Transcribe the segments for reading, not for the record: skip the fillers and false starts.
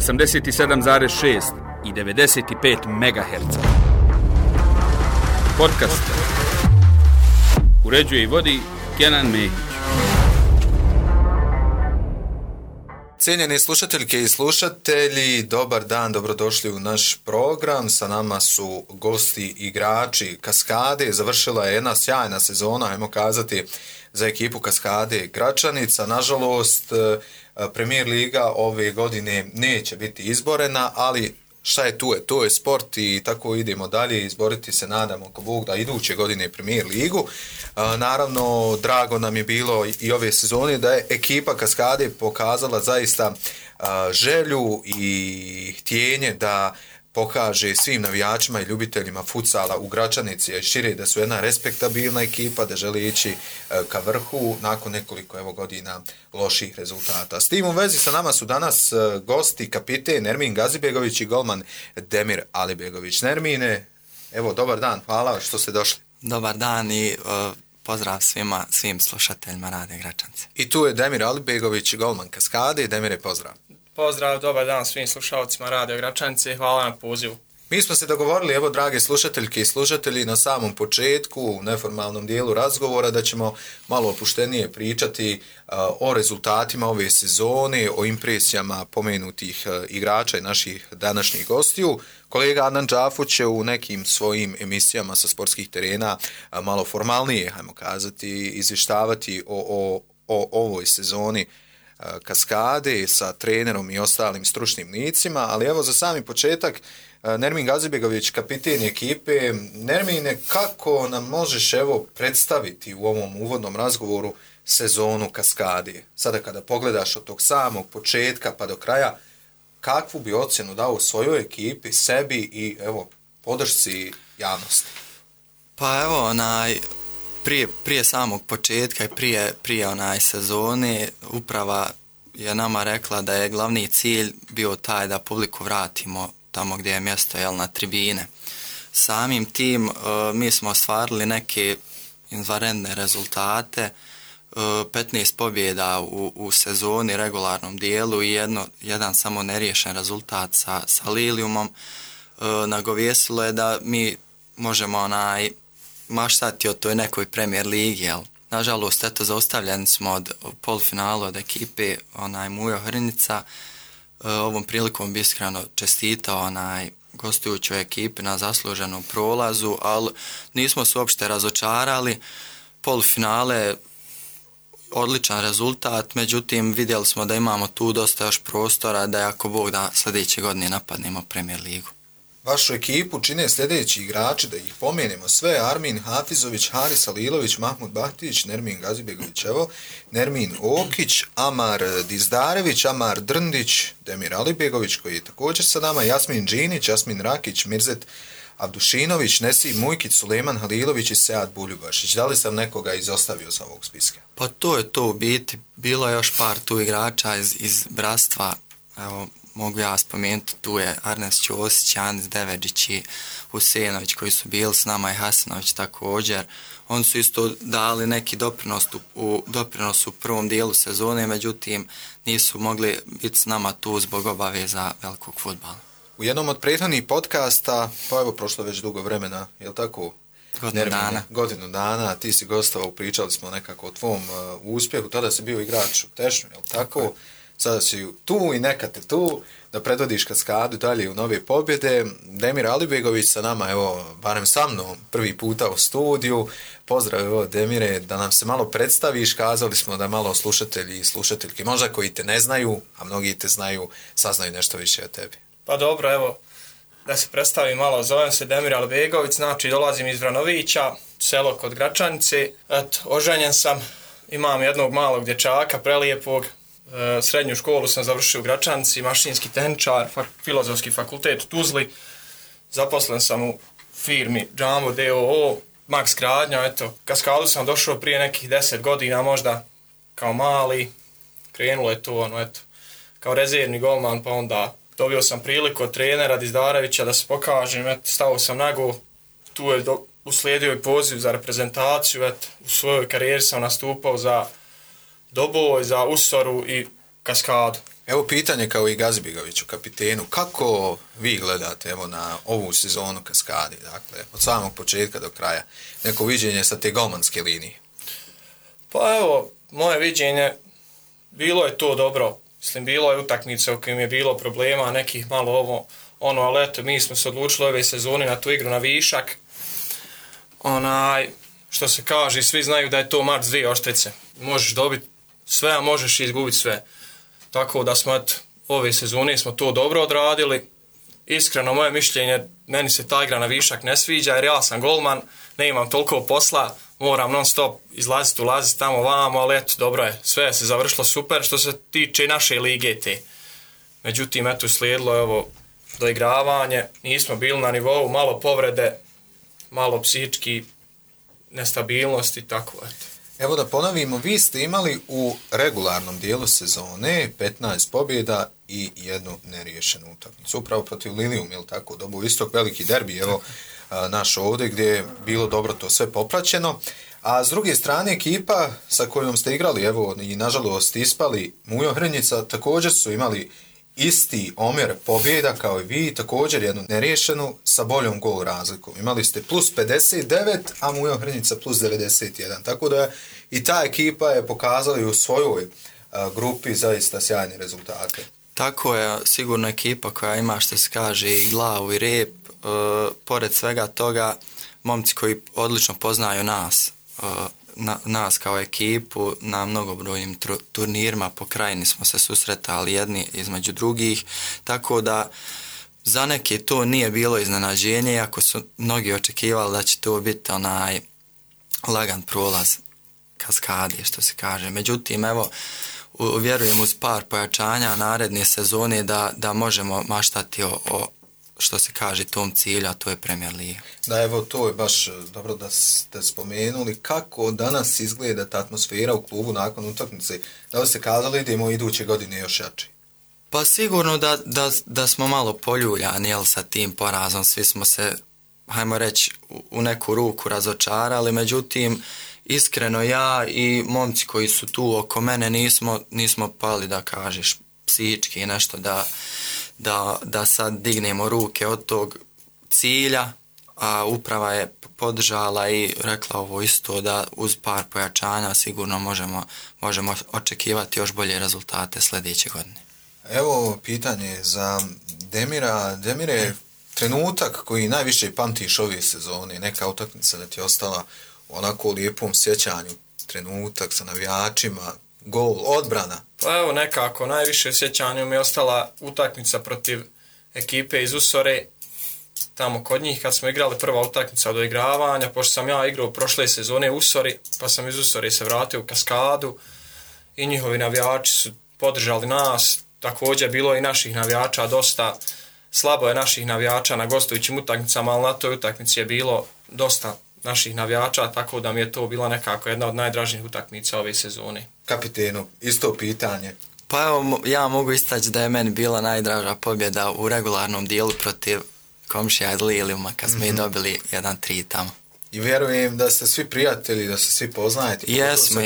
87,6 i 95 MHz. Podcast uređuje i vodi Kenan Mehić. Cijenjeni slušateljke i slušatelji, dobar dan, dobrodošli u naš program. Sa nama su gosti igrači Kaskade. Završila je jedna sjajna sezona, ajmo kazati, za ekipu Kaskade Gračanica. Nažalost, Premier Liga ove godine neće biti izborena, ali šta je tu je? To je sport i tako idemo dalje, izboriti se, nadamo ko Bog da iduće godine Premier Ligu. Naravno, drago nam je bilo i ove sezone da je ekipa Kaskade pokazala zaista želju i htjenje da pokaže svim navijačima i ljubiteljima futsala u Gračanici i šire da su jedna respektabilna ekipa, da želi ići ka vrhu nakon nekoliko godina loših rezultata. S tim u vezi sa nama su danas gosti kapiten Nermin Gazibegović i golman Demir Alibegović. Nermine, evo, dobar dan, hvala što ste došli. Dobar dan i pozdrav svim slušateljima Rade Gračance. I tu je Demir Alibegović, golman Kaskade. Demire, pozdrav. Pozdrav, dobar dan svim slušalcima Radio Gračanice, hvala na pozivu. Mi smo se dogovorili, evo drage slušateljke i slušatelji, na samom početku, u neformalnom dijelu razgovora, da ćemo malo opuštenije pričati o rezultatima ove sezone, o impresijama pomenutih igrača i naših današnjih gostiju. Kolega Adnan Džafu će u nekim svojim emisijama sa sportskih terena malo formalnije, hajmo kazati, izvještavati o ovoj sezoni Kaskade sa trenerom i ostalim stručnim licima, ali evo za sami početak Nermin Gazibegović, kapiten ekipe. Nermine, kako nam možeš evo predstaviti u ovom uvodnom razgovoru sezonu Kaskade? Sada kada pogledaš od tog samog početka pa do kraja, kakvu bi ocjenu dao svojoj ekipi, sebi i evo podršci javnosti? Pa evo, prije samog početka i prije sezone uprava je nama rekla da je glavni cilj bio taj da publiku vratimo tamo gdje je mjesto, na tribine. Samim tim mi smo ostvarili neke izvanredne rezultate, 15 pobjeda u sezoni, regularnom dijelu i jedan samo neriješen rezultat sa Lilijumom. Nagovjesilo je da mi možemo maštati o toj nekoj Premier Ligi, jel? Nažalost, eto, zaustavljeni smo od polufinalu od ekipe Mujo Hrnica. Ovom prilikom bi iskreno čestitao gostujućoj ekipi na zasluženom prolazu, ali nismo se uopšte razočarali. Polufinale, odličan rezultat, međutim vidjeli smo da imamo tu dosta još prostora da ako Bog da sljedeće godine napadnemo Premier Ligu. Vašu ekipu čine sljedeći igrači, da ih pomenemo sve: Armin Hafizović, Haris Alilović, Mahmud Bahtić, Nermin Gazibegović, Nermin Okić, Amar Dizdarević, Amar Drndić, Demir Alibegović koji je također sa nama, Jasmin Džinić, Jasmin Rakić, Mirzet Abdušinović, Nesim Mujkić, Suleman Halilović i Sead Buljubašić. Da li sam nekoga izostavio sa ovog spiska? Pa to je to u biti. Bilo je još par tu igrača iz bratstva, evo, mogu ja spomenuti, tu je Arnes Ćosić, Anis Devedžić i Husenović koji su bili s nama i Hasanović također. Oni su isto dali neki doprinos u prvom dijelu sezone, međutim nisu mogli biti s nama tu zbog obaveza velikog fudbala. U jednom od prethodnih podcasta, pa evo prošlo već dugo vremena, je li tako? Godinu dana, ti si gostovao, pričali smo nekako o tvom uspjehu, tada si bio igrač u Tešnju, je li tako? Sada si tu i neka te tu da predvodiš Kaskadu dalje u nove pobjede. Demir Alibegović sa nama, evo, barem sa mnom, prvi puta u studiju. Pozdrav, evo, Demire, da nam se malo predstaviš. Kazali smo da malo slušatelji i slušateljke, možda koji te ne znaju, a mnogi te znaju, saznaju nešto više o tebi. Pa dobro, evo, da se predstavim malo, zovem se Demir Alibegović, znači dolazim iz Vranovića, selo kod Gračanice. Eto, oženjen sam, imam jednog malog dječaka, prelijepog. Srednju školu sam završio u Gračanici, mašinski tehničar, filozofski fakultet u Tuzli. Zaposlen sam u firmi Džambo DOO, Max Gradnja. Eto, Kaskadu sam došao prije nekih 10 godina, možda kao mali. Krenulo je to, kao rezervni golman, pa onda dobio sam priliku od trenera Dizdarevića da se pokažem. Eto, stao sam nago, tu je uslijedio i poziv za reprezentaciju. Eto, u svojoj karijeri sam nastupao za Doboj, za Usoru i Kaskadu. Evo pitanje kao i Gazi Bigoviću, kapitenu, kako vi gledate evo na ovu sezonu Kaskadi, dakle, od samog početka do kraja, neko viđenje sa te golmanske linije? Pa evo, moje viđenje, bilo je to dobro. Mislim, bilo je utakmice u kojim je bilo problema, nekih malo ali eto, mi smo se odlučili ove sezone na tu igru na višak. Što se kaže, svi znaju da je to mač 2 oštrice. Možeš dobiti sve, a možeš izgubiti sve. Tako da smo, ove sezone smo to dobro odradili. Iskreno, moje mišljenje, meni se ta igra na višak ne sviđa, jer ja sam golman, ne imam toliko posla, moram non stop izlaziti, ulaziti tamo vamo, ali eto, dobro je, sve se završilo super što se tiče naše lige te. Međutim, eto, slijedilo doigravanje, nismo bili na nivou, malo povrede, malo psihički nestabilnosti, tako eto. Evo da ponovimo, vi ste imali u regularnom dijelu sezone 15 pobjeda i 1 neriješenu utakmicu. Upravo protiv Lilijum, ili tako, dobu istog veliki derbi, evo naš ovdje gdje je bilo dobro to sve popraćeno. A s druge strane ekipa sa kojom ste igrali, evo i nažalost ispali, Mujo Hrnjica, također su imali isti omjer pobjeda kao i vi, također 1 neriješenu sa boljom gol razlikom. Imali ste plus 59, a Mujo Hrnjica plus 91. Tako da i ta ekipa je pokazala u svojoj grupi zaista sjajne rezultate. Tako je, sigurno ekipa koja ima, što se kaže, i glavu i rep. Pored svega toga, momci koji odlično poznaju nas kao ekipu, na mnogobrojnim turnirima po krajini smo se susretali jedni između drugih, tako da za neke to nije bilo iznenađenje, iako su mnogi očekivali da će to biti lagan prolaz Kaskadi, što se kaže. Međutim, evo, vjerujem uz par pojačanja naredne sezone da možemo maštati o što se kaže tom cilju, a to je Premier Liga. Da, evo, to je baš dobro da ste spomenuli. Kako danas izgleda ta atmosfera u klubu nakon utakmice? Da li ste kazali da idemo iduće godine još jači? Pa sigurno da smo malo poljuljani, jel, sa tim porazom. Svi smo se, hajmo reći, u neku ruku razočarali, međutim, iskreno ja i momci koji su tu oko mene nismo pali, da kažeš, psihički nešto da sad dignemo ruke od tog cilja, a uprava je podržala i rekla ovo isto, da uz par pojačanja sigurno možemo očekivati još bolje rezultate sljedeće godine. Evo pitanje za Demira. Demire, trenutak koji najviše pamtiš ove sezone, neka utakmica da ti je ostala u onako lijepom sjećanju, trenutak sa navijačima, gol, odbrana? Pa evo, nekako najviše u sjećanju mi je ostala utakmica protiv ekipe iz Usore, tamo kod njih kad smo igrali prva utakmica od doigravanja, pošto sam ja igrao prošle sezone u Usori, pa sam iz Usore se vratio u Kaskadu i njihovi navijači su podržali nas. Također bilo i naših navijača dosta, slabo je naših navijača na gostujućim utakmicama, ali na toj utakmici je bilo dosta naših navijača, tako da mi je to bila nekako jedna od najdražnijih utakmica ove sezone. Kapitenu, isto pitanje. Pa evo, ja mogu istaći da je meni bila najdraža pobjeda u regularnom dijelu protiv komšija iz Lilijuma, kad smo i dobili 1-3 tamo. I vjerujem da ste svi prijatelji, da se svi poznajete. Jesmo.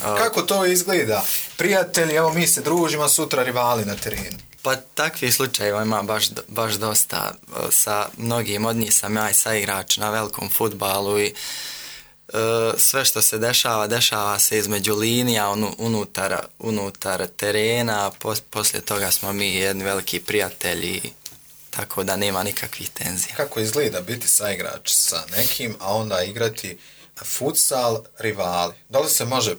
Kako to izgleda? Prijatelji, evo mi se družimo, sutra rivali na terenu. Pa takvih slučajeva ima baš dosta. Sa mnogim od njih sam ja i saigrač na velikom fudbalu i sve što se dešava se između linija, unutar terena, poslije toga smo mi jedni veliki prijatelji, tako da nema nikakvih tenzija. Kako izgleda biti saigrač sa nekim, a onda igrati futsal rivali? Da li se može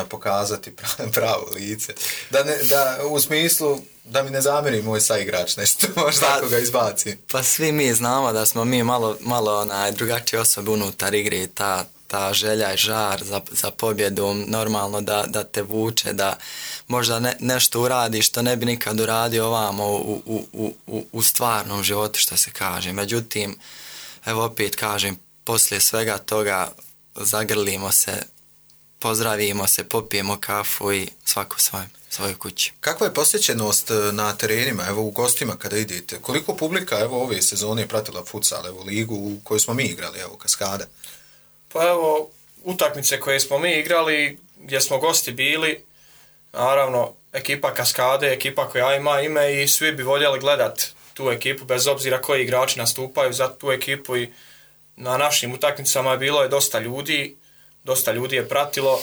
pokazati pravo lice? Da u smislu da mi ne zamjeri moj saigrač nešto, možda ako ga izbacim. Pa svi mi znamo da smo mi malo drugačije osobe unutar igre i ta želja i žar za pobjedom normalno da te vuče, da možda nešto uradi što ne bi nikad uradio ovamo u stvarnom životu, što se kaže. Međutim, evo opet kažem, poslije svega toga zagrlimo se, pozdravimo se, popijemo kafu i svako svojoj kući. Kakva je posjećenost na terenima, evo u gostima kada idete? Koliko publika evo ove sezone je pratila futsal, evo ligu u kojoj smo mi igrali, evo Kaskada? Pa evo, utakmice koje smo mi igrali, gdje smo gosti bili, naravno, ekipa Kaskade, ekipa koja ima ime i svi bi voljeli gledat tu ekipu, bez obzira koji igrači nastupaju za tu ekipu i na našim utakmicama je bilo dosta ljudi je pratilo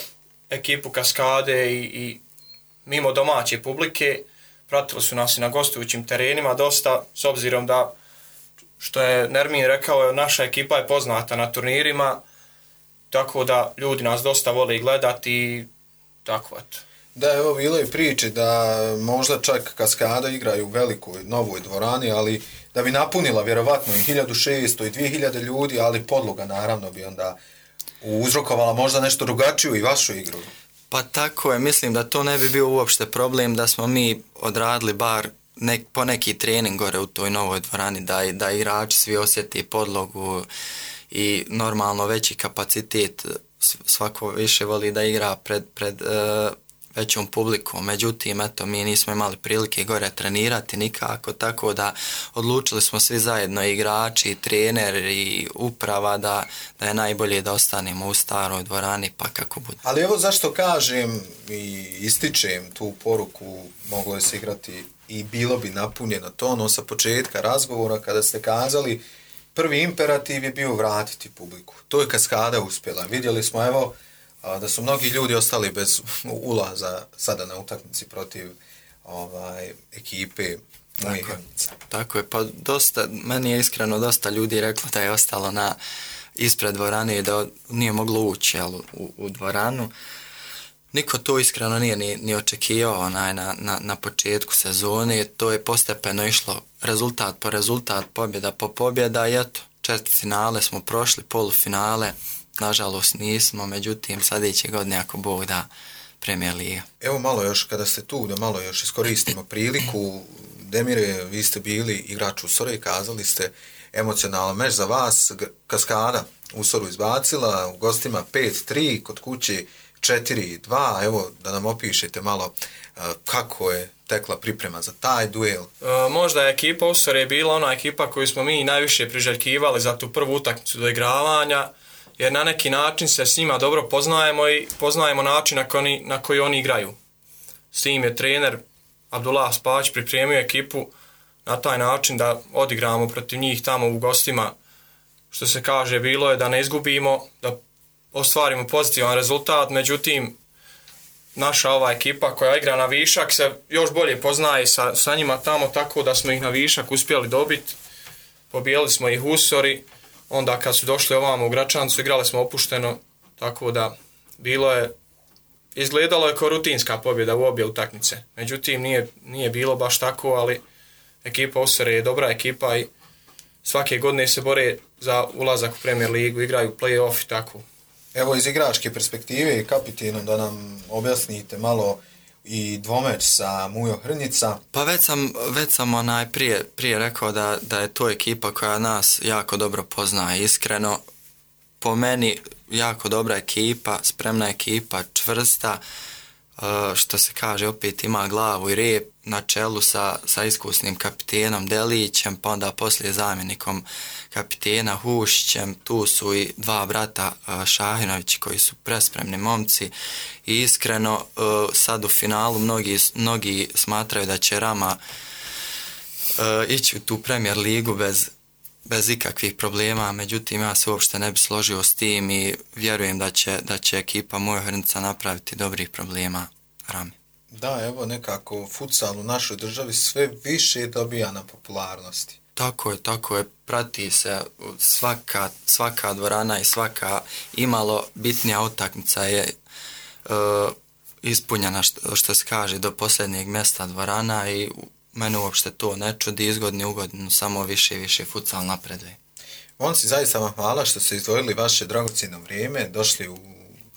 ekipu Kaskade i mimo domaće publike, pratili su nas i na gostujućim terenima dosta, s obzirom da, što je Nermin rekao, naša ekipa je poznata na turnirima, tako da ljudi nas dosta vole gledati i tako eto. Da, evo bilo je priče da možda čak Kaskada igraju u velikoj novoj dvorani, ali da bi napunila vjerovatno i 1600 i 2000 ljudi, ali podloga naravno bi onda uzrokovala možda nešto drugačiju i vašu igru. Pa tako je, mislim da to ne bi bio uopšte problem da smo mi odradili bar po neki trening gore u toj novoj dvorani, da igrači svi osjeti podlogu i normalno veći kapacitet, svako više voli da igra pred većom publikom. Međutim, eto, mi nismo imali prilike gore trenirati nikako, tako da odlučili smo svi zajedno, igrači, trener i uprava, da je najbolje da ostanemo u staroj dvorani, pa kako bude. Ali evo zašto kažem i ističem tu poruku, moglo je se igrati i bilo bi napunjeno to, ono sa početka razgovora kada ste kazali prvi imperativ je bio vratiti publiku. To je Kaskada uspjela. Vidjeli smo evo da su mnogi ljudi ostali bez ulaza sada na utakmici protiv ekipe Moje Hrnica. Tako je, pa meni je iskreno dosta ljudi reklo da je ostalo ispred dvorane i da nije moglo ući u dvoranu. Niko to iskreno nije ni očekivao na početku sezone, to je postepeno išlo rezultat po rezultat, pobjeda po pobjeda i eto, četvrtfinale smo prošli, polufinale, nažalost nismo, međutim sljedeće godine ako Bog da Premier Liga. Evo malo još, kada ste tu, da malo još iskoristimo priliku. Demire, vi ste bili igrač Usora i kazali ste emocionalan meč za vas. Kaskada Usoru izbacila, u gostima 5-3, kod kuće 4-2. Evo da nam opišete malo kako je tekla priprema za taj duel. Možda je ekipa Usora je bila ona ekipa koju smo mi najviše priželjkivali za tu prvu utakmicu do igravanja, jer na neki način se s njima dobro poznajemo i poznajemo način na koji oni igraju. S tim je trener Abdullah Spać pripremio ekipu na taj način da odigramo protiv njih tamo u gostima. Što se kaže, bilo je da ne izgubimo, da ostvarimo pozitivan rezultat, međutim naša ova ekipa koja igra na višak se još bolje poznaje sa njima tamo, tako da smo ih na višak uspjeli dobiti. Pobijeli smo ih Usori, onda kad su došli ovamo u Gračancu igrali smo opušteno, tako da izgledalo je kao rutinska pobjeda u obje utakmice. Međutim, nije bilo baš tako, ali ekipa Usore je dobra ekipa i svake godine se bore za ulazak u Premier Ligu, igraju play-off i tako. Evo iz igračke perspektive i kapitenom da nam objasnite malo i dvomeč sa Mujo Hrnica. Pa već sam prije rekao da je to ekipa koja nas jako dobro poznaje. Iskreno, po meni jako dobra ekipa, spremna ekipa, čvrsta, što se kaže, opet ima glavu i rep, na čelu sa iskusnim kapitenom Delićem, pa onda poslije zamjenikom kapitena Hušićem. Tu su i dva brata Šahinovići koji su prespremni momci i iskreno sad u finalu mnogi smatraju da će Rama ići u tu Premier Ligu bez ikakvih problema, međutim ja se uopšte ne bi složio s tim i vjerujem da će ekipa Moja Hrnica napraviti dobrih problema Rami. Da, evo nekako futsal u našoj državi sve više dobija na popularnosti. Tako je, prati se svaka dvorana i svaka imalo bitnija utakmica je ispunjena, što se kaže, do posljednjeg mjesta dvorana i mene uopšte to ne čudi, iz godine u godinu samo više i više futsal napreduje. Momci, zaista vam hvala što ste izdvojili vaše dragocjeno vrijeme, došli u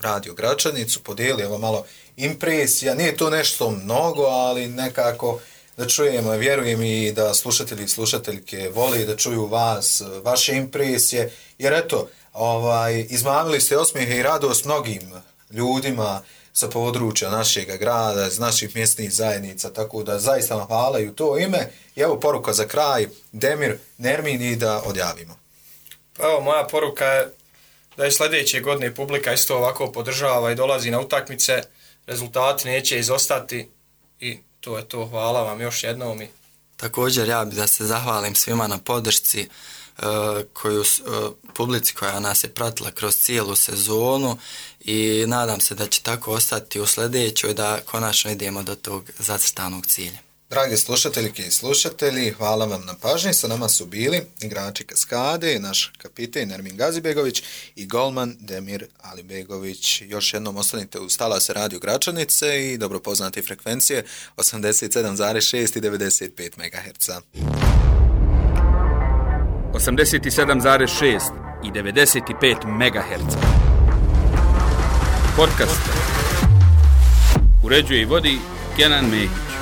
Radio Gračanicu, podijelili evo malo impresija, nije to nešto mnogo, ali nekako da čujemo, vjerujem i da slušatelji i slušateljke vole da čuju vas, vaše impresije, jer eto, izmamili ste osmijehe i radost mnogim ljudima sa područja našeg grada, iz naših mjesnih zajednica, tako da zaista vam hvala i u to ime. I evo poruka za kraj, Demir, Nermin i da odjavimo. Pa evo, moja poruka je da je sljedeće godine publika isto ovako podržava i dolazi na utakmice, rezultati neće izostati i to je to. Hvala vam još jednom. Također ja bih da se zahvalim svima na podršci, publici koja nas je pratila kroz cijelu sezonu i nadam se da će tako ostati u sljedećoj, da konačno idemo do tog zacrtanog cilja. Dragi slušateljke i slušatelji, hvala vam na pažnji. Sa nama su bili igrači Kaskade, naš kapiten Ermin Gazibegović i golman Demir Alibegović. Još jednom ostanite uz Talas Radio Gračanice i dobro poznate frekvencije 87,6 i 95 MHz. 87,6 i 95 MHz. Podcast uređuje i vodi Kenan Mehić.